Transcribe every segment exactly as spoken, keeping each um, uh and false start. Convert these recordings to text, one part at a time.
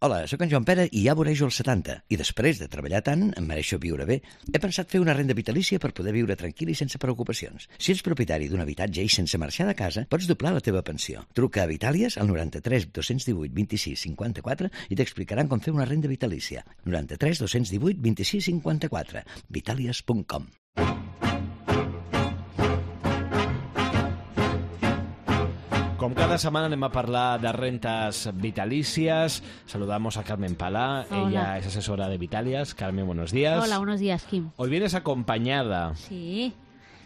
Hola, sóc en Joan Pere i ja vorejo els setanta. I després de treballar tant, em mereixo viure bé. He pensat fer una renda vitalícia per poder viure tranquil i sense preocupacions. Si ets propietari d'un habitatge i sense marxar de casa, pots doblar la teva pensió. Truca a Vitàlies al noranta-tres dos-cents divuit vint-i-sis cinquanta-quatre i t'explicaran com fer una renda vitalícia. noranta-tres dos-cents divuit vint-i-sis cinquanta-quatre. vitàlies punt com. Com cada setmana anem a parlar de rentes vitalícies. Saludamos a Carmen Palá. Hola. Ella es asesora de Vitalias. Carmen, buenos días. Hola, buenos días, Kim. Hoy vienes acompañada. Sí,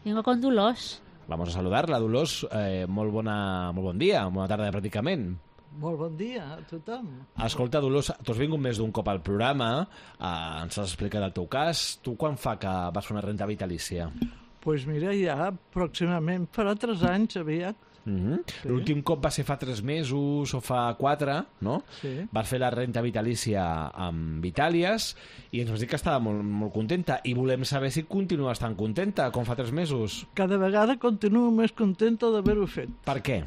vengo con Dolors. Vamos a saludarla, Dolors. Eh, molt, bona, molt bon dia, bona tarda pràcticament. Molt bon dia a tothom. Escolta, Dolors, tu has vingut més d'un cop al programa, eh, ens has explicat el teu cas. Tu quan fa que vas fer una renta vitalícia? Doncs pues mira, ja pròximament farà tres anys aviat. Mm-hmm. Sí. L'últim cop va ser fa tres mesos o fa quatre, no? Sí. Vas fer la renta vitalícia amb Vitàlies i ens vas dir que estava molt, molt contenta i volem saber si continues tan contenta com fa tres mesos. Cada vegada continuo més contenta d'haver-ho fet. Per què?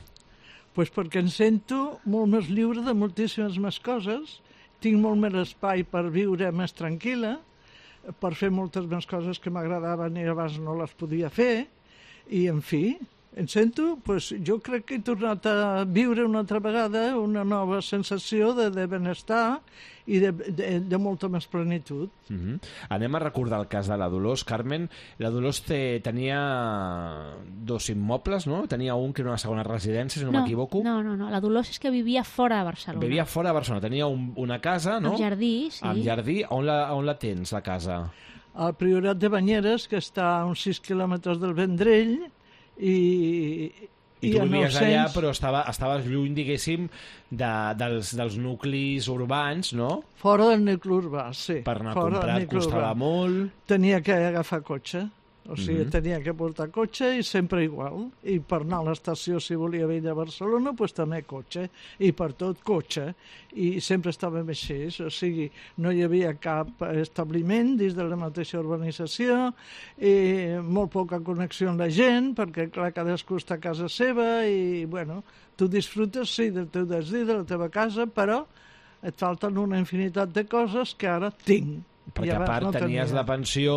Pues perquè em sento molt més lliure de moltíssimes més coses, tinc molt més espai per viure més tranquil·la, per fer moltes més coses que m'agradaven i abans no les podia fer, i en fi, em sento, pues, jo crec que he tornat a viure una altra vegada una nova sensació de, de benestar i de, de, de molta més plenitud. Mm-hmm. Anem a recordar el cas de la Dolors, Carmen. La Dolors te, tenia dos immobles, no? Tenia un que era una segona residència, si no, no m'equivoco. No, no, no, la Dolors és que vivia fora de Barcelona. Vivia fora de Barcelona, tenia un, una casa, no? Amb jardí, sí. Amb jardí. On la, on la tens, la casa? Al Priorat de Banyeres, que està a uns sis quilòmetres del Vendrell, i, I tu vivies nou-cents... allà, però estava, estaves lluny, diguéssim, de, dels, dels nuclis urbans, no? Fora del nucli urbà, sí. Per anar a fora comprar et costava molt. Tenia que agafar cotxe, o sigui, Mhm. tenia que portar cotxe i sempre igual. I per anar a l'estació, si volia venir a Barcelona, doncs també cotxe. I per tot cotxe. I sempre estàvem així, o sigui, no hi havia cap establiment dins de la mateixa urbanització, i molt poca connexió amb la gent, perquè clar, cadascú està a casa seva i, bueno, tu disfrutes, sí, del teu desig, de la teva casa, però et falten una infinitat de coses que ara tinc. Perquè I a abans part no tenies tenia. la pensió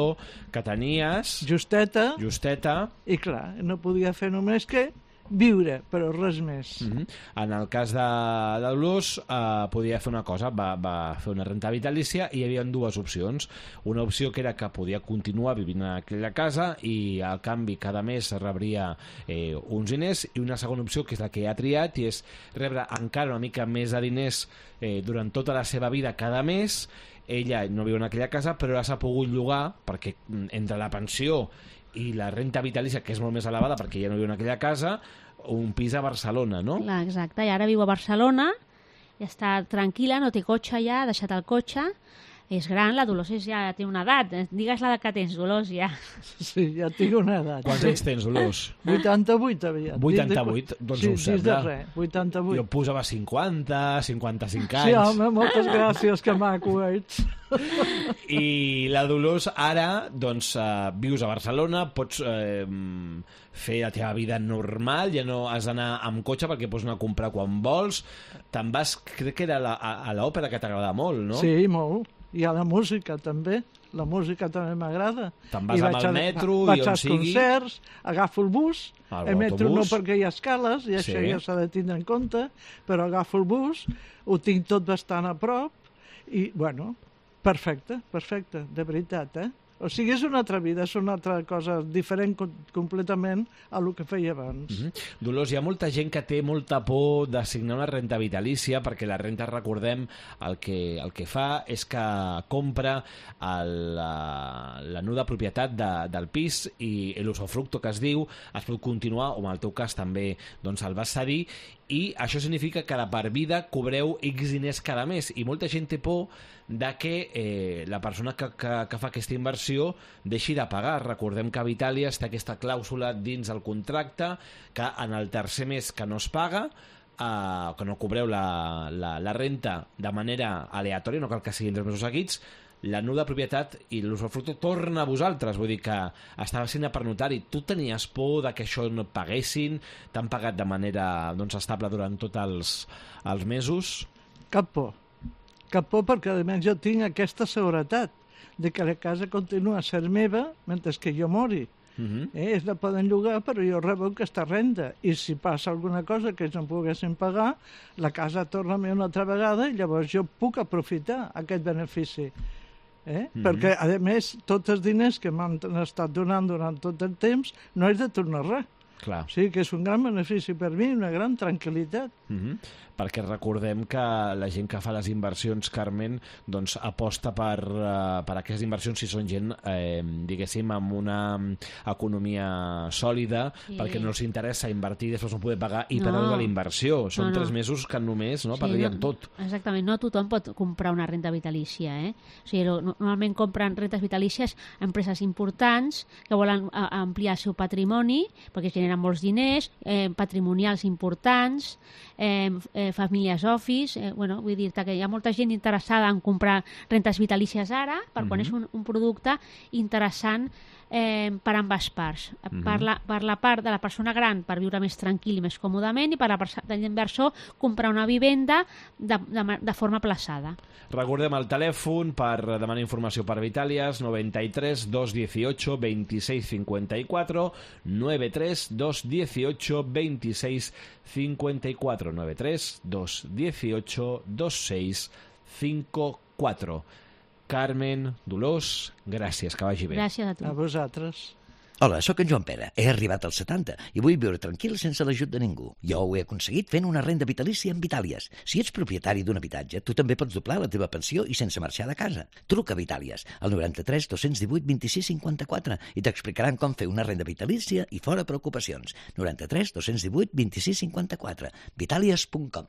que tenies, Justeta, justeta. i clar, no podia fer només que viure, però res més. Mm-hmm. En el cas de, de Dolors, eh, podia fer una cosa, va, va fer una renta vitalícia i hi havia dues opcions. Una opció que era que podia continuar vivint en aquella casa i al canvi cada mes rebria eh, uns diners, i una segona opció que és la que ha triat i és rebre encara una mica més de diners eh, durant tota la seva vida cada mes. Ella no viu en aquella casa, però ara s'ha pogut llogar perquè entre la pensió i la renta vitalícia, que és molt més elevada perquè ja no viu en aquella casa, un pis a Barcelona, no? Clar, exacte, i ara viu a Barcelona, ja està tranquil·la, no té cotxe ja, ha deixat el cotxe, és gran, la Dolors és, ja té una edat, digues l'edat que tens, Dolors, ja. Sí, ja tinc una edat. Quants anys tens, Dolors? vuitanta-vuit aviat. vuitanta-vuit? Doncs sí, no ho dins sembla. de res, vuitanta-vuit. Jo posava cinquanta, cinquanta-cinc anys. Sí, home, moltes gràcies, que maco ets. I la Dolors ara, doncs, uh, vius a Barcelona, pots eh, fer la teva vida normal, ja no has d'anar amb cotxe perquè pots anar a comprar quan vols. Te'n vas, crec que era la, a, a l'òpera, que t'agrada molt, no? Sí, molt. I a la música, també. La música també m'agrada. Te'n vas I amb vaig el a- metro vaig i on als sigui. concerts, agafo el bus, Ah, el metro no l'autobús. perquè hi ha escales, i això Sí. ja s'ha de tindre en compte, però agafo el bus, ho tinc tot bastant a prop, i, bueno, perfecte, perfecte, de veritat, eh? O sigui, és una altra vida, és una altra cosa diferent com, completament a lo que feia abans. Mm-hmm. Dolors, hi ha molta gent que té molta por de signar una renta vitalícia perquè la renta, recordem, el que, el que fa és que compra el, la, la nuda propietat de, del pis i l'usufructo que es diu es pot continuar, o en el teu cas també doncs el vas cedir, i això significa que de per vida cobreu X diners cada mes, i molta gent té por de que eh, la persona que, que, que fa aquesta inversió deixi de pagar. Recordem que Vitàlia té aquesta clàusula dins el contracte que en el tercer mes que no es paga, eh, que no cobreu la, la, la renta de manera aleatòria, no cal que siguin tres mesos seguits, la nuda propietat i l'usufructo torna a vosaltres, vull dir que estava signat per notari. Tu tenies por de que això no et paguessin? T'han pagat de manera doncs, estable durant tots els, els mesos? Cap por. cap por, perquè a més jo tinc aquesta seguretat de que la casa continua a ser meva mentre que jo mori. Uh-huh. Eh, ells la poden llogar, però jo rebo aquesta renda. I si passa alguna cosa que ells no poguessin pagar, la casa torna a mi una altra vegada i llavors jo puc aprofitar aquest benefici. Eh? Uh-huh. Perquè, a més, tots els diners que m'han estat donant durant tot el temps no és de tornar res. Clar. Sí, que és un gran benefici per mi, una gran tranquil·litat. Uh-huh. Perquè recordem que la gent que fa les inversions, Carmen, doncs aposta per, uh, per aquestes inversions si són gent, eh, diguéssim, amb una economia sòlida, sí. perquè no els interessa invertir i després no poder pagar i no. perdre la inversió. Són no, no. tres mesos que només no, sí, perdrien no, tot. Exactament, no tothom pot comprar una renda vitalícia. Eh? O sigui, normalment compren rentes vitalícies empreses importants que volen a, ampliar el seu patrimoni, perquè generen molts diners, eh, patrimonials importants, eh, eh, famílies office, eh, bueno, vull dir que hi ha molta gent interessada en comprar rentes vitalícies ara, per quan uh-huh. és un, un producte interessant eh, per ambes parts. Uh-huh. Per, la, per la part de la persona gran per viure més tranquil i més còmodament, i per la part de l'inversor comprar una vivenda de, de, de forma plaçada. Recordem el telèfon per demanar informació per Vitalias, noventa y tres, dos dieciocho, veintiséis cincuenta y cuatro, noventa y tres, dos dieciocho, veintiséis cincuenta y cuatro, noventa y tres, dos dieciocho, veintiséis cincuenta y cuatro. Carmen, Dolors, gràcies, que vagi bé. Gràcies a tu. A vosaltres. Hola, sóc en Joan Pere. He arribat als setanta i vull viure tranquil sense l'ajut de ningú. Jo ho he aconseguit fent una renda vitalícia amb Vitàlies. Si ets propietari d'un habitatge, tu també pots doblar la teva pensió i sense marxar de casa. Truca a Vitàlies al noranta-tres dos divuit vint-i-sis cinquanta-quatre i t'explicaran com fer una renda vitalícia i fora preocupacions. noranta-tres dos divuit vint-i-sis cinquanta-quatre. vitàlies punt com